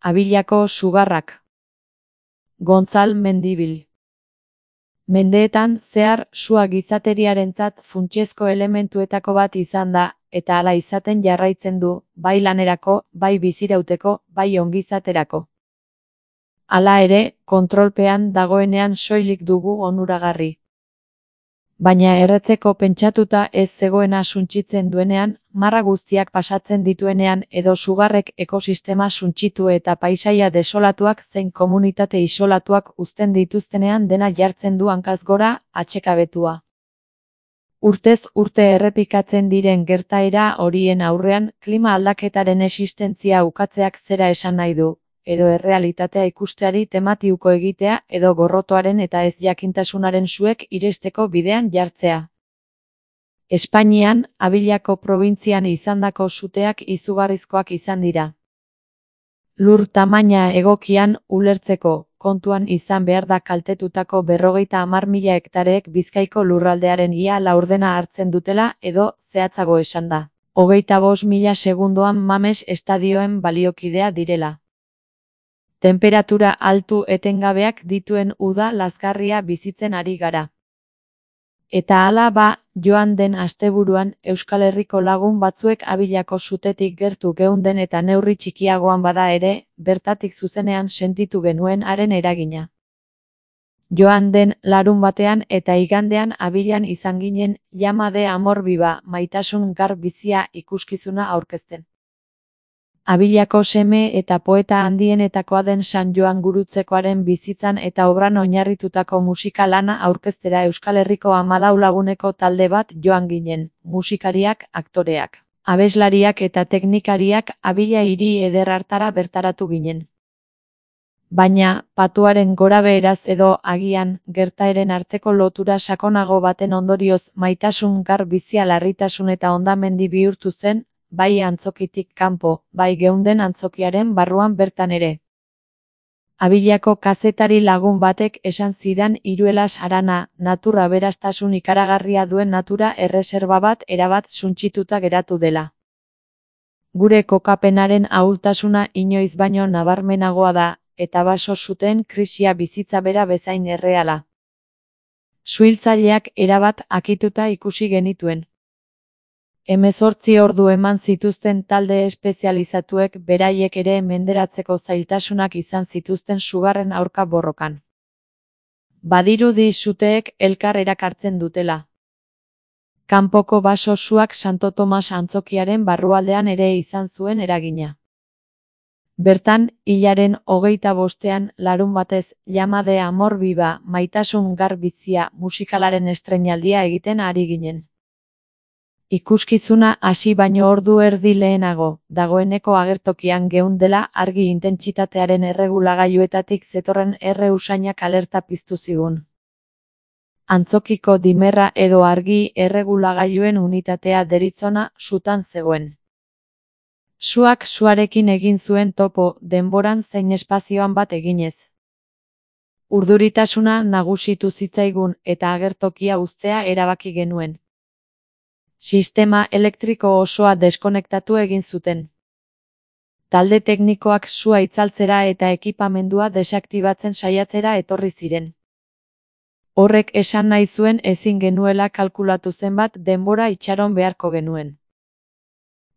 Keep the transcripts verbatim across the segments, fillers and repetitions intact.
Abilako sugarrak. Gontzal Mendibil. Mendeetan zehar sua gizateriarentzat funtsezko elementuetako bat izan da, eta hala izaten jarraitzen du, bai lanerako, bai bizirauteko, bai ongizaterako. Hala ere, kontrolpean dagoenean soilik dugu onuragarri. Baina erretzeko pentsatuta ez zegoena suntsitzen duenean, marra guztiak pasatzen dituenean edo sugarrek ekosistema suntsitu eta paisaia desolatuak zein komunitate isolatuak uzten dituztenean dena jartzen du hankaz gora, atsekabetua. Urtez urte errepikatzen diren gertaera horien aurrean, klima aldaketaren existentzia ukatzeak zera esan nahi du, edo errealitatea ikusteari tematiuko egitea edo gorrotoaren eta ez jakintasunaren suek iristeko bidean jartzea. Espainian, Abilako probintzian izandako suteak izugarrizkoak izan dira. Lur tamaina egokian ulertzeko, kontuan izan behar da kaltetutako berrogeita hamar mila hektareek Bizkaiko lurraldearen ia laurdena hartzen dutela edo, zehatzago esan da, hogeita bost mila segundoan Mames estadioen baliokidea direla. Temperatura altu etengabeak dituen uda lazgarria bizitzen ari gara. Eta hala ba, joan den asteburuan, Euskal Herriko lagun batzuek Abilako sutetik gertu geunden eta neurri txikiagoan bada ere, bertatik zuzenean sentitu genuen haren eragina. Joan den larun batean eta igandean Abilan izan ginen, Llama de Amor Viva, maitasun gar bizia ikuskizuna aurkezten. Abilako seme eta poeta handienetakoa den San Joan Gurutzekoaren bizitzan eta obran oinarritutako musika lana aurkeztera Euskal Herriko hamalau laguneko talde bat joan ginen, musikariak, aktoreak, abeslariak eta teknikariak Abila hiri eder hartara bertaratu ginen. Baina, patuaren gorabeheraz edo agian, gertaeren arteko lotura sakonago baten ondorioz maitasun gar bizia larritasun eta hondamendi bihurtu zen, bai antzokitik kanpo, bai geunden antzokiaren barruan bertan ere. Abilako kazetari lagun batek esan zidan Iruelas harana, natura aberastasun ikaragarria duen natura erreserba bat erabat suntsituta geratu dela. Gure kokapenaren ahultasuna inoiz baino nabarmenagoa da, eta baso zuten krisia bizitza bera bezain erreala. Suhiltzaileak erabat akituta ikusi genituen. Hemezortzi ordu eman zituzten talde espezializatuek beraiek ere menderatzeko zailtasunak izan zituzten sugarren aurka borrokan. Badirudi suteek elkar erakartzen dutela. Kanpoko baso suak Santo Tomas antzokiaren barrualdean ere izan zuen eragina. Bertan, hilaren hogeita bostean, larun batez, Llama de Amor Viva, maitasun gar bizia musikalaren estreinaldia egiten ari ginen. Ikuskizuna hasi baino ordu erdi lehenago, dagoeneko agertokian geundela argi intentsitatearen erregulagailuetatik zetorren erre usainak alerta piztu zigun. Antzokiko dimerra edo argi erregulagailuen unitatea deritzona sutan zegoen. Suak suarekin egin zuen topo, denboran zein espazioan bat eginez. Urduritasuna nagusitu zitzaigun eta agertokia uztea erabaki genuen. Sistema elektriko osoa deskonektatu egin zuten. Talde teknikoak sua itzaltzera eta ekipamendua desaktibatzen saiatzera etorri ziren. Horrek esan nahi zuen ezin genuela kalkulatu zenbat denbora itxaron beharko genuen.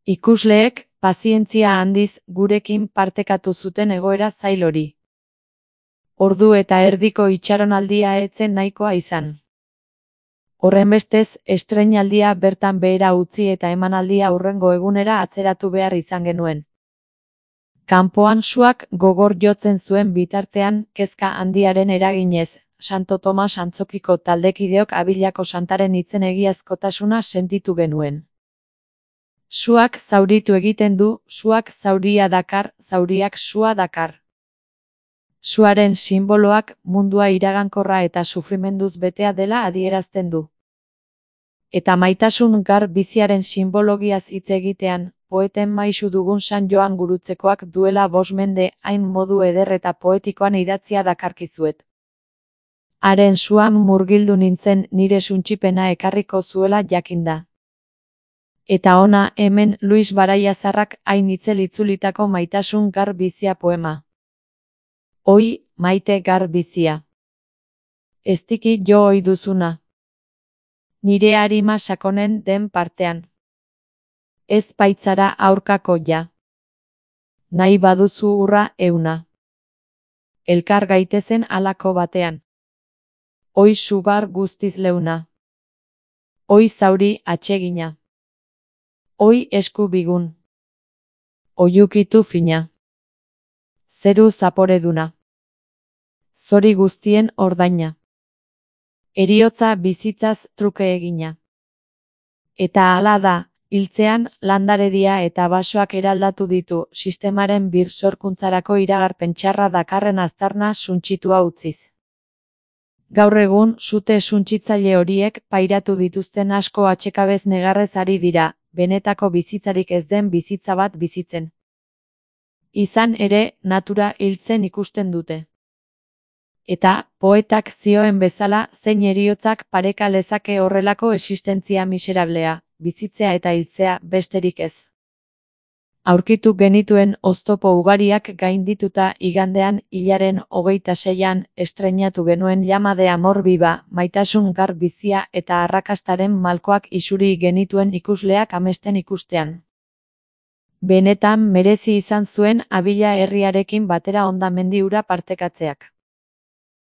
Ikusleek, pazientzia handiz, gurekin partekatu zuten egoera zail hori. Ordu eta erdiko itxaronaldia etzen nahikoa izan. Horrenbestez, estreinaldia bertan behera utzi eta emanaldia hurrengo egunera atzeratu behar izan genuen. Kanpoan suak gogor jotzen zuen bitartean, kezka handiaren eraginez, Santo Tomas antzokiko taldekideok Abilako santaren hitzen egiazkotasuna sentitu genuen. Suak zauritu egiten du, suak zauria dakar, zauriak sua dakar. Suaren sinboloak mundua iragankorra eta sufrimenduz betea dela adierazten du. Eta maitasun gar biziaren simbologiaz hitz egitean, poeten maisu dugun San Joan Gurutzekoak duela bost mende hain modu eder eta poetikoan idatzia dakarkizuet. Haren suan murgildu nintzen nire suntsipena ekarriko zuela jakinda. Eta ona hemen Luis Baraiazarrak hain itzel itzulitako maitasun gar bizia poema. Oi, maite gar bizia. Eztiki jo ohi duzuna. Nire arima sakonen den partean. Ez baitzara aurkako ja. Nahi baduzu urra euna. Elkar gaitezen halako batean. Oi sugar guztiz leuna. Oi zauri atsegina. Oi esku bigun. Oiukitu fina. Zeru zaporeduna. Zori guztien ordaina. Heriotza bizitzaz truke egina. Eta hala da, hiltzean landaredia eta basoak eraldatu ditu sistemaren birsorkuntzarako iragarpen txarra dakarren aztarna suntsitua utziz. Gaur egun sute suntsitzaile horiek pairatu dituzten asko atsekabez negarrez ari dira, benetako bizitzarik ez den bizitza bat bizitzen. Izan ere, natura hiltzen ikusten dute. Eta, poetak zioen bezala, zein heriotzak pareka lezake horrelako existentzia miserablea, bizitzea eta hiltzea besterik ez. Aurkitu genituen oztopo ugariak gaindituta igandean hilaren hogeita seian estreinatu genuen Llama de amor viva, maitasun gar bizia eta arrakastaren malkoak isuri genituen ikusleak amesten ikustean. Benetan merezi izan zuen Abila herriarekin batera hondamendi hura partekatzeak.